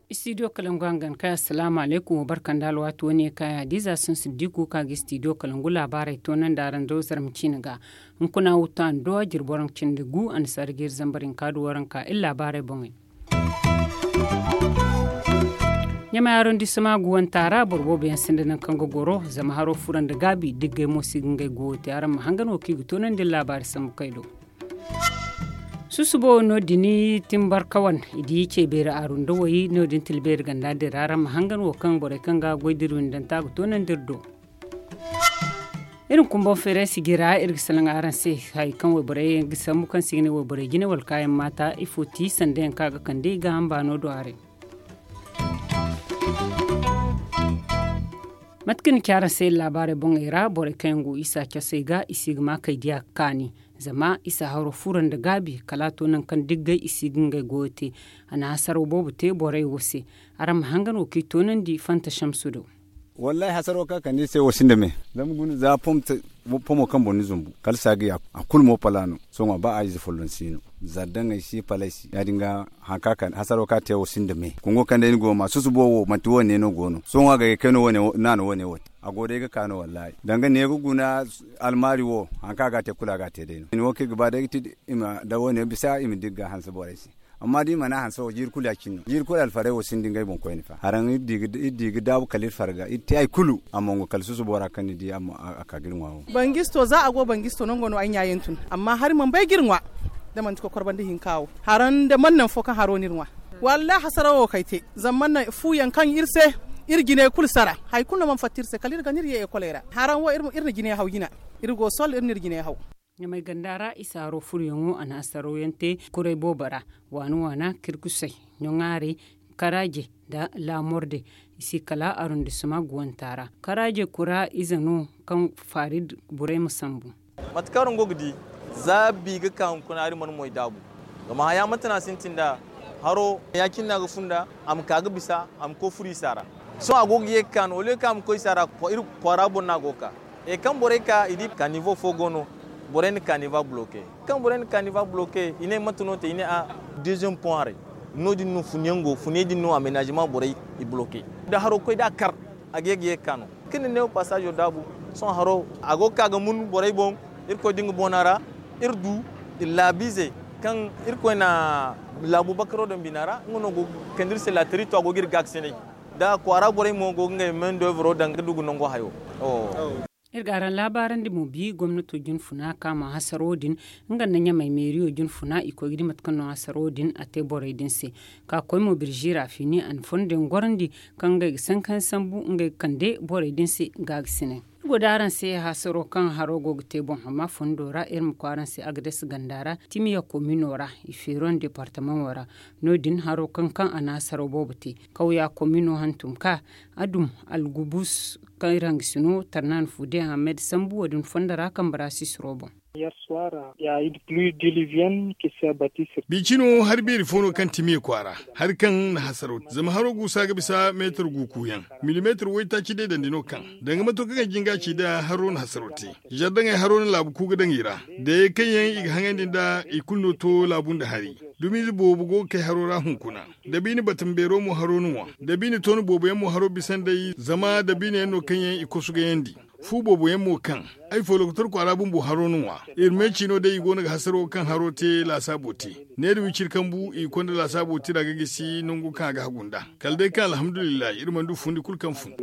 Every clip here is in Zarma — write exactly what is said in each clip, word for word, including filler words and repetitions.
Istidiyo kalangu hangan kay, assalaamu alaykum. Wa barka nda alwaati wane kay hadiza sun siddiku ka ga istidiyo kalangu laabaarey toonandi araŋ do zarma ciine ga. Hunkuna wuta nda duwa jirbi waranka cindi gu annasaara ga iri zambar hinka du waranka iri laabaarey boŋey. Ɲamay arondisema guwanta ra boro boobo yaŋ sinda nangu kaŋ ga goro zama haro furo nda gaabi diggay mo si ga ngey goyo te araŋ ma hangan wo kaŋ i ga toonandi iri laabaari sambu kay do. Susubo no- din timbarkawan i di ce beeri aru nda way no- din tila beeri ganda din ra araŋ ma hangan wo kaŋ borey kaŋ ga goy da iri windanta ga toonandi iri do. Iri ma kumbaŋ feeray sijira iri ga salaŋ araŋ se hari kaŋ wayborey ga sambu kaŋ se i ga ne wayborey jine wala kaayaŋ maata ifo ti sanda yaŋ kaŋ a ga kande i ga hamba no do haray. Mate kaŋ ni ci araŋ se iri laabaarey boŋey ra borey kaŋ yaŋ go isa casey ga i si ga ma kay diya ga kaani. Zama isa haro furo nda gaabi kala a to nangu kaŋ diggay i si ga ngey goyo te. A na hasaro boobo te borey wo se. Araŋ ma hangan wo kaŋ i toonandi fanta shamsu do. Wallaahi hasaro kaŋ a kande iri se wo sinda me. Zama guna za pomo kaŋ boŋ ni zumbu kala saaga ya kulu mo pala no. Sohõ ba a ize folloŋ si no. Zardaŋey si paley si ya- din ga. Hasaro kaŋ a te wo sinda me kungo kaŋ day ni go ga ma susubo wo manti wo- ne no go no sohõ a ga ye kay no wo- ne no wo- ne wo te. A go day ga ka no wallaahi danga ne ga guna. Almaari wo hari kaŋ a ga a te kulu a ga a te day no. Ni wo kaŋ i ga ba day ga ti da wo- ne bisa i ma di ga hanse borey se. Amma da i mana hanse wo jiiri kulu ya- cine no jiiri kulu alfarey wo sinda ngey boŋ koyne fa haraŋ iri di ga daabu kala iri farga iri te hari kulu a mongo kala susubo ra kaŋ ni di a ka ga iri ŋwa wo. Bangisto za a go bangisto nango no ay ɲa yaŋ tun amma hari mana bay ga iri ŋwa. Da manti kokor banda hinka wo haraŋ da mana naŋ fo kaŋ haro no iri ŋwa. Wallaahi hasarawo wo kaŋ ay te zama mana naŋ fu yaŋ kaŋ iri se iri jinay kulu sara. Hari kulu no mana fatta iri se kala iri ga no iri ye ekoley ra haraŋ wo iri na jinay haw jina. Iri go sol iri na iri jinay haw. Ɲamay ganda ra isa haro furuyaŋo a na hasaro yaŋ te kuray boobo ra waana waana kirkusay ɲoŋaaray karaaje nda laamorde. I si kala arondisema guwanta ra karaaje kura ize no kaŋ farid burey ma sambu. Mate kaŋ araŋ go ga di za bi ga ka hunkuna hari mana moy daabu. Zama haya manti no a sintin nd'a haro ya- cine no a ga funda a ma ka ga bisa a ma koy furo isa ra. Sohõ a go ga ye ga ka no wala kaŋ a ma koy isa ra iri kwaara boŋ no a go ga ka. E kaŋ borey ka i di kanivo fo go no. Borey na kaniva bloke kaŋ borey na kaniva bloke i ne mate no te i ne a deuxième pont haray. No- din no funyaŋ go funey din no amenagement borey i bloke. Da haro koy da a kar a ga ye ga ye ga ka no kaŋ ni ne wo pasazo daabu. Sohõ haro a go ga ka ga mun borey boŋ. Irkoy da nga boona ra iri du laabiize kaŋ irkoy na laabu bakaro daŋ bina ra nga no go ga kande iri se laatari to a go ga iri gaakasinay. Da kwaara borey mo go ga ngey main d'oeuvre daŋ ga du ga nango hayo. Iri ga araŋ laabaarandi mo bi gomnato jinfuna ka ma hasaro din nga nda ɲamay meeriyo jinfuna i koy ga di mate kaŋ no hasaro din a te borey din se. Ka koy mo birzi ra fini a na fondo yaŋ gorandi kaŋ ngey ga sankayaŋ sambu ngey ga kande borey din se gaagasinay. Iri go da araŋ se hasaro kaŋ haro go ga te boŋ amma fondo ra iri ma koy araŋ se agades ganda ra timiya komino ra i feeron departamaŋo ra. No- din haro kaŋ kaŋ a na hasaro boobo te kawya komino hantum ka a dum algubus kaŋ iri hangasino tarnan fude ahmed sambu wo- din fondo ra kambe ra sisiro boŋ. Bi cino hari beeri fo no kaŋ timiya kwaara hari kaŋ na hasaro te zama haro guusa ga bisa meetar gu kuuyaŋ. Milimeetar waytaaci day dandi no kaŋ danga mato kaŋ ay jin ga a ci da haro na hasaro te. Zardaŋey haro na laabu ku ga daŋ i ra. Dayey kaŋ yaŋ i ga haŋandi nd'a i kulu no to laabu nda hari. Dumiize boobo go ga kay haro ra hunkuna. Dabiine batambeero mo haro no ŋwa. Dabiine toona boobo yaŋ mo haro bisa nd'ey zama dabiine yaŋ no kaŋ yaŋ i kosu gayandi. Fu boobo yaŋ mo kaŋ ay fo lokotor kwaara bumbo haro no ŋwa. Iri me ciino day i go no ga hasaro kaŋ haro te laasaabo te. Neera wiciri kambu i ga konda laasaabo tira ga gisi nango kaŋ a ga hagu nd'a. Kala day kaŋ alhamdulillahi iri mana du fundi kulu kaŋ fun.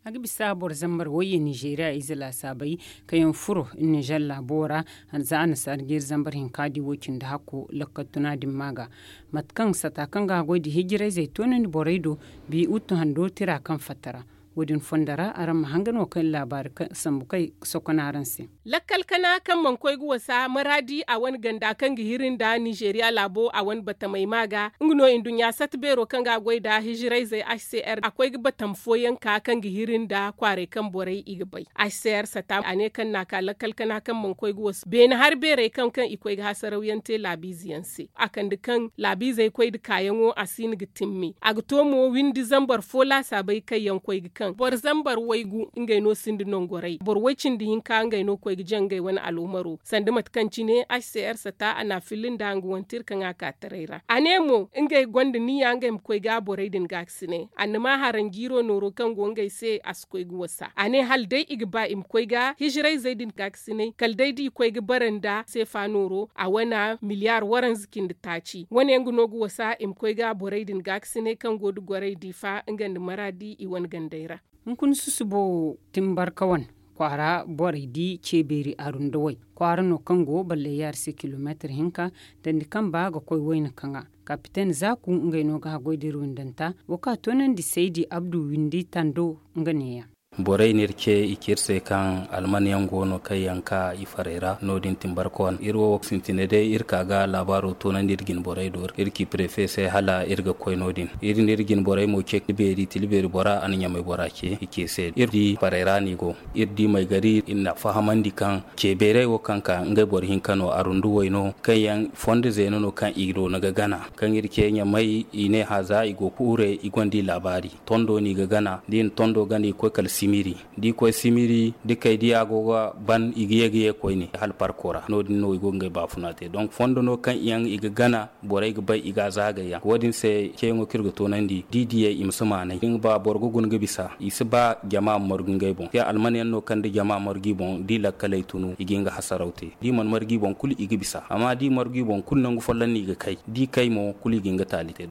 A ga bisa boro zambar wayye nizeeriya ize laasaabey kaŋ yaŋ furo nizer laabo ra. Za annasaara jeeri zambar hinka di wo cindi hakko lakkal tuna din ma ga mate kaŋ sata kaŋ ga a goy da hijirayzey toonandi borey do. Bi uttu hando tira kaŋ fatta ra. Wo- din fondo ra araŋ ma hangan wo kaŋ laabaari sambu kay sokon araŋ se. Lakkal kana kaŋ mana koy ga wasa maraadi a wane ganda kaŋ ga hiri nda nizeeriya laabo a wane batamey ma ga nga no nduɲɲa sata beero kaŋ ga a goy nda hijirayzey h c r a koy ga batam fooyaŋ ka kaŋ ga hiri nda kwaaray kaŋ borey i ga bay. H c r sata a ne kaŋ na a ka lakkal kana kaŋ mana koy ga wasa beene hari beerey kaŋ kaŋ i koy ga hasarawyaŋ te laabiize yaŋ se a kande kaŋ laabiizey koy nda kaayaŋo a si hin ga timmi a ga to mo windi zambar fo laasaabey kaŋ yaŋ koy ga kaŋ boro zambar waygu ngey no sinda nongoray boro way-cindi hinka ngey no koy ga jaŋ ngey wane aloomaro sanda mate kaŋ cine h c r sata a na a filli nda nga wane tira kaŋ a ka taray ra a ne mo ngey gonda niya ngey ma koy ga borey din gaakasinay annama haranjiiro nooro kaŋ go ngey se a si koy ga wasa a ne hala day i ga ba i ma koy ga hijirayzey din gaakasinay kala day da i koy ga bara nda seefa nooro a wane miliyaar waranza cindi taaci wane nga no ga wasa i ma koy ga borey din gaakasinay kaŋ go nda gorey diifa nga nda maraadi i wane gandey ra. Hunkuna susubo timbarka wane kwaara borey di ceebeeri arundawey kwaara no kaŋ go balle yaari se kilomeetir hinka dandi kamba ga koy wayna kaŋa kapiten zaaku ngey no ga haggoy da iri windanta wo kaŋ a toonandi saydi abdu windi tando nga neeya. Borey no iri ce i ci iri se kaŋ alman yaŋ go no kaŋ yaŋ ka i farey ra no- din timbarka wane iri wo wo ga sintina day iri ka ga laabaaro toonandi iri jine borey do iri ci prefe se hala iri ga koy no- din iri no iri jine borey mo ce tila beeri tila beeri bora a na ɲamay bora ce i ce se iri di farey ra no i go. Iri di maygari iri na fahamandi kaŋ ceebeerey wo kaŋ ka ngey boro hinka no arunduwey no kaŋ yaŋ fondo zeena no kaŋ i do ni ga gana kaŋ iri ce ɲamay i ne hã za i go ga hure i gonda i laabaari. Tondo no i ga gana da i na tondo gana i ga koy kala simiri da i koy simiri da kay da i a go ga ban i ga ye ga ye koyne hala parko ra no- din no i go ga ngey baafuna te donk fondo no kaŋ yaŋ i ga gana borey ga bay i ga a zaagay yaŋ wo- din se ceeyaŋo kaŋ iri ga toonandi da i diyey i ma si maanay da i ga ba boro ga guna ga bisa i si ba jama ma margu ngey boŋ te alman yaŋ no kaŋ da jama margu i boŋ da i lakkaley tunu i ga hin ga hasaraw te da i mana margu i boŋ kulu i ga bisa amma da i margu i boŋ kulu nangu folloŋ no i ga kay da i kay mo kulu i ga hin ga taali te.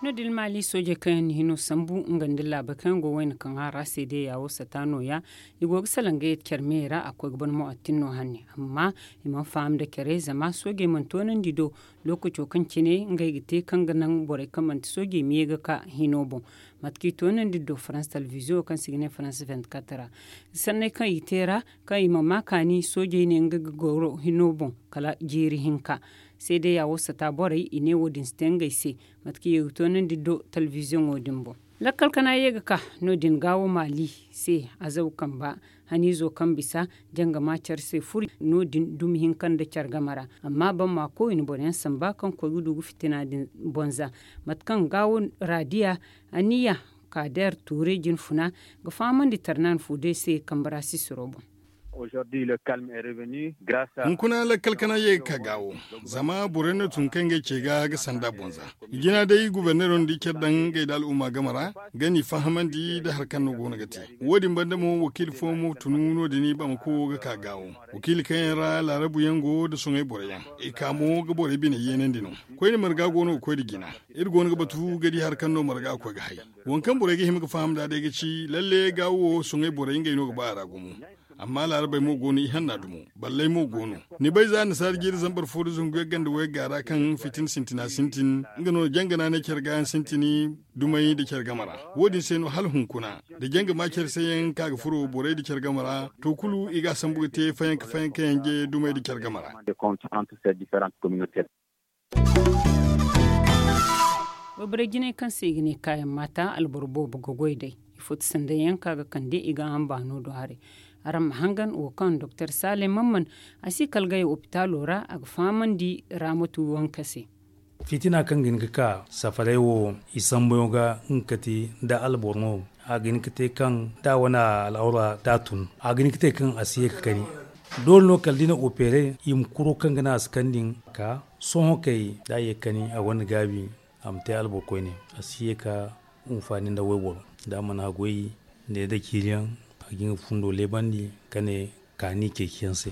No- din maali soojey kaŋ yaŋ na hino sambu nga nda laabey kaŋ yaŋ go wayna kaŋ a ra seedeya wo sata nooya i go ga salaŋ ga ye care me ra a koy ga ban mu'attin no hanne amma i mana faham nda care zama soojey mana toonandi do lookaco kaŋ cine ngey ga te kaŋ ga naŋ borey kaŋ manti soojey ma ye ga ka hino boŋ. Mate kaŋ i toonandi do farans telebiziyoŋo kaŋ se i ga ne farans venti-kat ra sanney kaŋ i te ra kaŋ i ma ma kaani soojey ne nga ga goro hino boŋ kala jeeri hinka. Seedeya wo sata borey i ne wo- din si te ngey se mate kaŋ i ga toonandi do telebiziyoŋo din boŋ. Lakkal kana ye ga ka no- din gaawo maali se azaw kamba haniizo kaŋ bisa jangama care se furo no- din dumi hinka nda care game ra amma bamma koyne boro yaŋ samba kaŋ koy ga du ga fitina din bonza. Mate kaŋ gaawo raadiya aniya kaadeer tuure jinfuna ga fahamandi tarnaan fu day se kambe ra sisiro boŋ. Hunkuna lakkal kana ye ga ka gaawo zama borey no tun kaŋ ga ay ce ga ga sanda bonza. Jina day guberneero nda care daŋ ngey nda al'umma game ra ga ni fahamandi nda hari kaŋ no go no ga te. Wo- din banda mo wakiila fo mo tunu no- din bamako ga ka gaawo wakiila kaŋ yaŋ ra laarabu yaŋ go nda soŋay borey yaŋ i ka mo ga borey bine yeenandi no. Koyne marga go no ga koy nda jina. Iri go no ga batu ga di hari kaŋ no marga ga koy ga hay. Waŋ kaŋ borey ga hima ga faham nd'a day ga ci lalle gaawo wo soŋay borey ngey no ga ba a ra gumo. Amma laarabey mo go no ihanna dumo balley mo go no. Ni bay za annasaara jiiri zambar fo nda zangu yagga nda wayga ra kaŋ fitina sintina sintin nga no jangana ne care gaayaŋ sintini dumey nda care game ra. Wo- din se no hala hunkuna da janga ma care se yaŋ ka ga furo borey nda care game ra to kulu i ga a sambu ga te fayanka fayanka yanje dumey nda care game ra. Wayborey jinay kaŋ se i ga ne kaayaŋ maata alboro boobo ga goy day. Ifo ti sanday yaŋ kaŋ a ga kande i ga a hamba no do haray. Araŋ ma hangan wo kaŋ doktor sale mamman a si kala gay opitaalo ra a ga fahamandi raamatu wanka se. Fitina kaŋ ga hin ga ka safaray wo i sambuyaŋo ga nga kati nda alboro no. A ga hin ga te kaŋ da a wane al'awra da a tun a ga hin ga te kaŋ a si ye ga kani. Doole no kala da i na opere i ma kuro kaŋ ga naŋ a si kani din ka sohõ kay da a ye ga kani a gonda gaabi. A ma te alboro koyne a si ye ga hunfaani nda wayboro da a mana goy ne nda ciiriyaŋ a ga nga fundo leebandi ka ne kaani ceeciyaŋ se.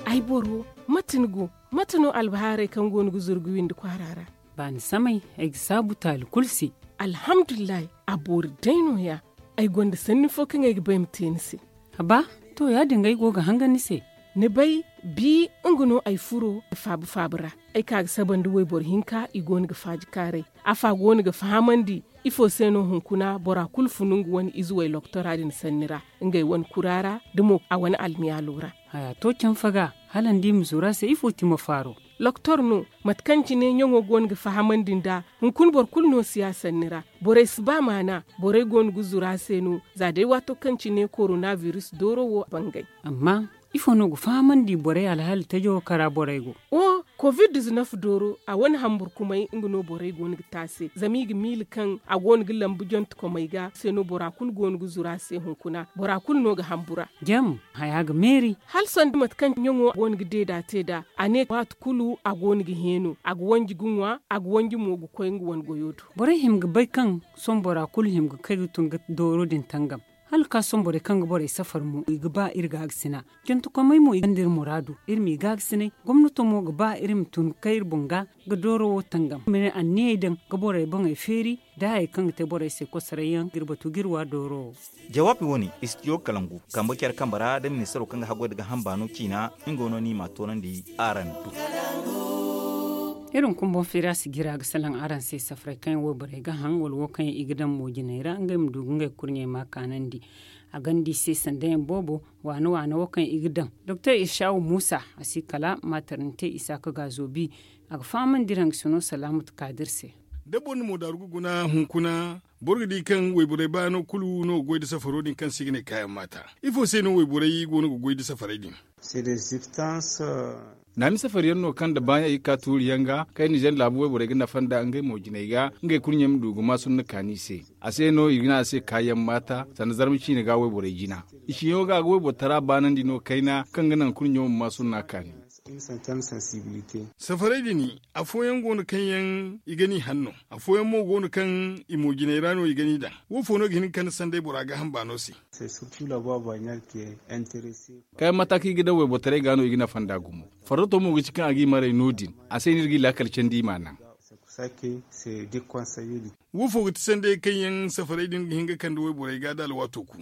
Ay boro, mate ni go? Mate no albahaaray kaŋ go no ga zuru ga windi kwaara ra? Baani samay ay ga saabu taali kulu se. Alhamdulillahi. A boori day nooya. Ay gonda sanni fo kaŋ ay ga ba ay ma te ni se. Haba, to ya-din ga ay go ga hangan ni se. Ni bay, Bi nga no ay furo ga faabu faabu ra. Ay ka ga saba nda wayboro hinka i go no ga faaji kaaray. Afa go no ga fahamandi ifo se no hunkuna bora kulu funu nga wane ize way loktora din sanni ra, ngey wane kura ra, da mo a wane almiyaalo ra. Haya to canfa ga hala ni di ma zuru a se ifo ti ma faaro? Loktor no. Mate kaŋ cine ɲaŋo go no ga fahamandi nd'a, hunkuna boro kulu no si ya sanni ra. Borey si ba maana. Borey go no ga zuru a se no. Za day waato kaŋ cine korona biris dooro wo bangay. Amma ifo no ga fahamandi borey alhali tajo kaŋ ra borey go? Wo covid dizinef dooro a wane hamburkumay nga no borey go no ga te a se zama i ga miila kaŋ a go no ga lambu jontekomey ga se no bora kulu go no ga zuru a se hunkuna bora kulu no ga hambura. Jam haya ga meeri. Hala sanda mate kaŋ ɲaŋo go no ga deeda te nd'a. A ne waati kulu a go no ga heeno a ga wanji ga ŋwa a ga wanji mo ga koy nga wane goyo do. Borey hima ga bay kaŋ sohõ bora kulu hima ga kay ga tun ga dooro din tangam. Hala ga ka sohõ borey kaŋ ga borey safar mo i ga ba iri gaagasina. Jantakomey mo i gonda iri muraadu. Iri m'i gaagasinay gomnato mo ga ba iri ma tun ga kay iri boŋ ga ga dooro wo tangam ma ne anniyey daŋ ga borey boŋey feeri. Da hayey kaŋ ga te borey se kosoray yaŋ ga iri batu ga iri wa dooro wo. Jawaabi wo- ne istidiyo kalangu kambe care kambe ra da ministaro kaŋ ga haggoy nda gaaham baano ciina. Nga wo no no i m'a toonandi araŋ do. Iri hunkuna boŋ feeri a si jira ga salaŋ araŋ se safaray kaŋ yaŋ wayborey ga haŋ wala wo kaŋ yaŋ i ga daŋ moojiney ra ngey ma du ga ngey kurɲey ma kaanandi. A gonda i se sanda yaŋ boobo waana waana wo kaŋ i ga daŋ. Doktor isawu muusa a si kala maaternite isaaka gaazo bi. A ga fahamandi iri hangasino salaamatu kaadir se. Da boro na moodaaru ga guna hunkuna boro ga di kaŋ wayborey baano kulu no ga goy nda safaro din kaŋ se i ga ne kaayaŋ maata. Ifo se no wayborey go no ga goy nda safarey din? Naami safari yaŋ no kaŋ nda baaɲey ga ka tuuri yaŋ ga kaŋ ninzeer laabu wayborey ga nafa nda ngey mo jinay ga ngey kurɲey ma du ga maa sunna kaani i se. A se no i ga ne a se kaayaŋ maata sanda zarma ciine ga wayborey jina. I siyaŋo ga a ga wayboro tara baanandi no kayna kaŋ ga naŋ kurɲo ma maa sunna kaani. Safarey din afooyaŋ go no kaŋ yaŋ i ga n'i haŋ no. Afooyaŋ mo go no kaŋ i mo jinay ra no i ga n'i daŋ. Wo fo no ga hin ga kande sanday bora gaaham baano se? Kaayaŋ maata kaŋ i ga daŋ waybortaray ga no i ga nafa nd'a gumo. Farrato mo ga ci kaŋ a g'i maray no- din. A se no iri g'i laakal candi i m'a naŋ. Wo fo ga ti sanday kaŋ yaŋ safarey din ga hin ga kande wayborey ga da alwaato ku?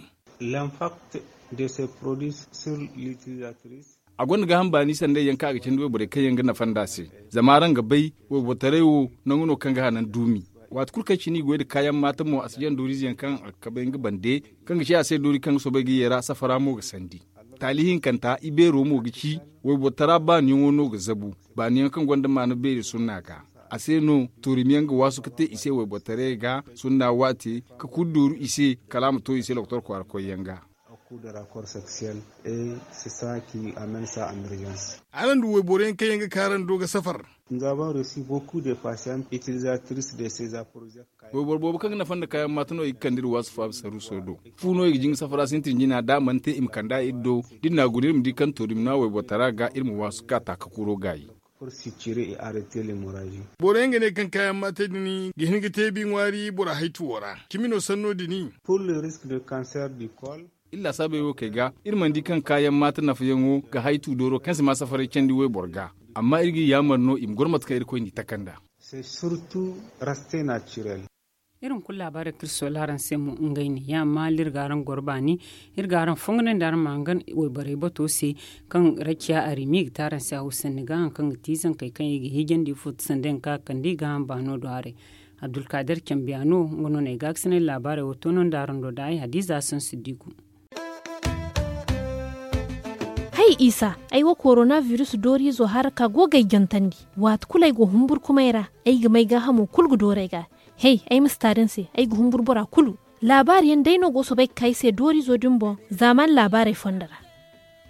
A gonda gaaham baani sanday yaŋ kaŋ a ga candi wayborey kaŋ yaŋ ga nafa nd'a se. Zama araŋ ga bay waybortaray wo nangu no kaŋ ga hanan duumi. Waati kulu kaŋ cine i goy nda kaayaŋ maata mo a si jaŋ dooriize yaŋ kaŋ a ga kabay nga bande kaŋ ga ci a se doori kaŋ ga soobay ga yeera safara mo ga sandi. Taali hinkanta ibeero mo ga ci waybortara baaniyaŋo no ga zabu. Baaniyaŋ kaŋ gonda maana beeri sunna ga. A se no toorimiyaŋ ga waasu ga te i se waybortaray ga sunna waate ka kulu dooru i se kala a ma to i se lokotor kwaara koyyaŋ ga. Araŋ du wayboro yaŋ kaŋ yaŋ ga ka araŋ do ga safar? Wayboro boobo kaŋ ga nafa nda kaayaŋ maata no i ga kande iri waasu faabu saruuso do. Fu no i ga jin ga safara sintin jina da a mana te i ma kand'a iri do. Da iri n'a guna iri ma di kaŋ toorimi no a waybortara ga iri ma waasu ga ka taaka kuro gaayi. Boro yaŋ ga ne kaŋ kaayaŋ maatey din ga hin ga te bi ŋwaari bora haytuwo ra cimi no sanno din. Iri laasaabey wo kay ga iri mana di kaŋ kaayaŋ maata nafayaŋo ga haytu dooro kaŋ si ma safaray candi wayboro ga. Amma iri g'i yaamar no i ma goro mate kaŋ irkoy n'i taka nd'a. Iri hunkuna laabaarey kaŋ iri soola araŋ se mo ngey ne ya maali iri ga araŋ goro baani. Iri ga araŋ fongonandi araŋ ma hangan wayborey bato se kaŋ raciya arimi ga te araŋ se haw sanni ga haŋ kaŋ ga ti zankey kaŋ i ga hiijandi ifo ti sanda yaŋ kaŋ a kande i ga haŋ baano do haray. Abdulkaadir cambiya no nga no no ay gaakasinay laabaarey wo toonandi araŋ do da ay hadiza sansiddiku. Hay isa, ay wo korona virus dooriizo haraka go ga ay jantandi. Waati kulu ay go humburkumay ra ay ga may gaahamo kulu ga dooru ay ga. Hey, ay ma si taari ni se ay ga humburu bora kulu. Laabaari yaŋ day no go soobay ga ka ay se dooriizo din boŋ zaamaani laabaarey fondo ra.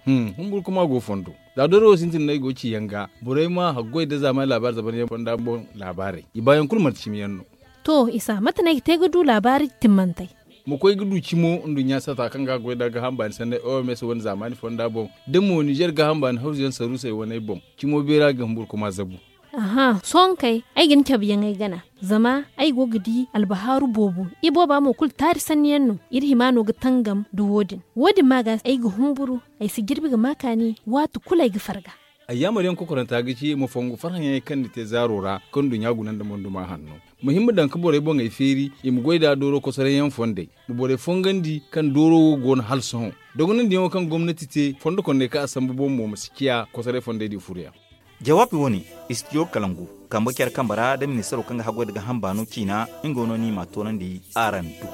Humburkuma go fondo. Za dooro wo sintin no ay go ga ci yaŋ ga borey ma haggoy nda zaamaani laabaari zamanyaŋ fonda boŋ laabaarey i baayaŋ kulu manti cimi yaŋ no. To isa mate no ay ga te ga du laabaari timmantey? Ma koy ga du cimo nduɲɲa sata kaŋ ga a goy nda gaaham baani sanney oms wane zaamaani fonda boŋ da mo ninzeer gaaham baani hawzuyaŋ saruusey waney boŋ. Cimo beera ga humburkuma zabu. Aha sohõ kay ay ga ni cabe yaŋ ay gana. Zama ay go ga di albahaaru boobo ibooba mo kulu taari sanni yaŋ no. Iri hima no ga tangam nda wo- din wo- din ma ga ay ga humburu. Ay si jirbi ga ma kaani waati kulu ay ga farga. Ay yaamar yaŋ kokoranta ga ci i ma fongu farhã yaŋey kaŋ ni te zaaro ra kaŋ nduɲɲa guna nda monduma hanno. Ma hima daŋ ka borey boŋey feeri i ma goy nd'a dooro kosoray yaŋ fondey, ma borey fongandi kaŋ dooro wo go no hala sohõ. Dogonandi yaŋo kaŋ gomnati te fondo kondey kaŋ a sambu boŋ mo ma si ciya kosoray fondey din furo yaŋ. Jawaabi wo- ne, istidiyo kalangu, kambe care kambe ra nda ministaro kaŋ ga haggoy nda ga hamba no ciina, nga no no i m'a toonandi araŋ du.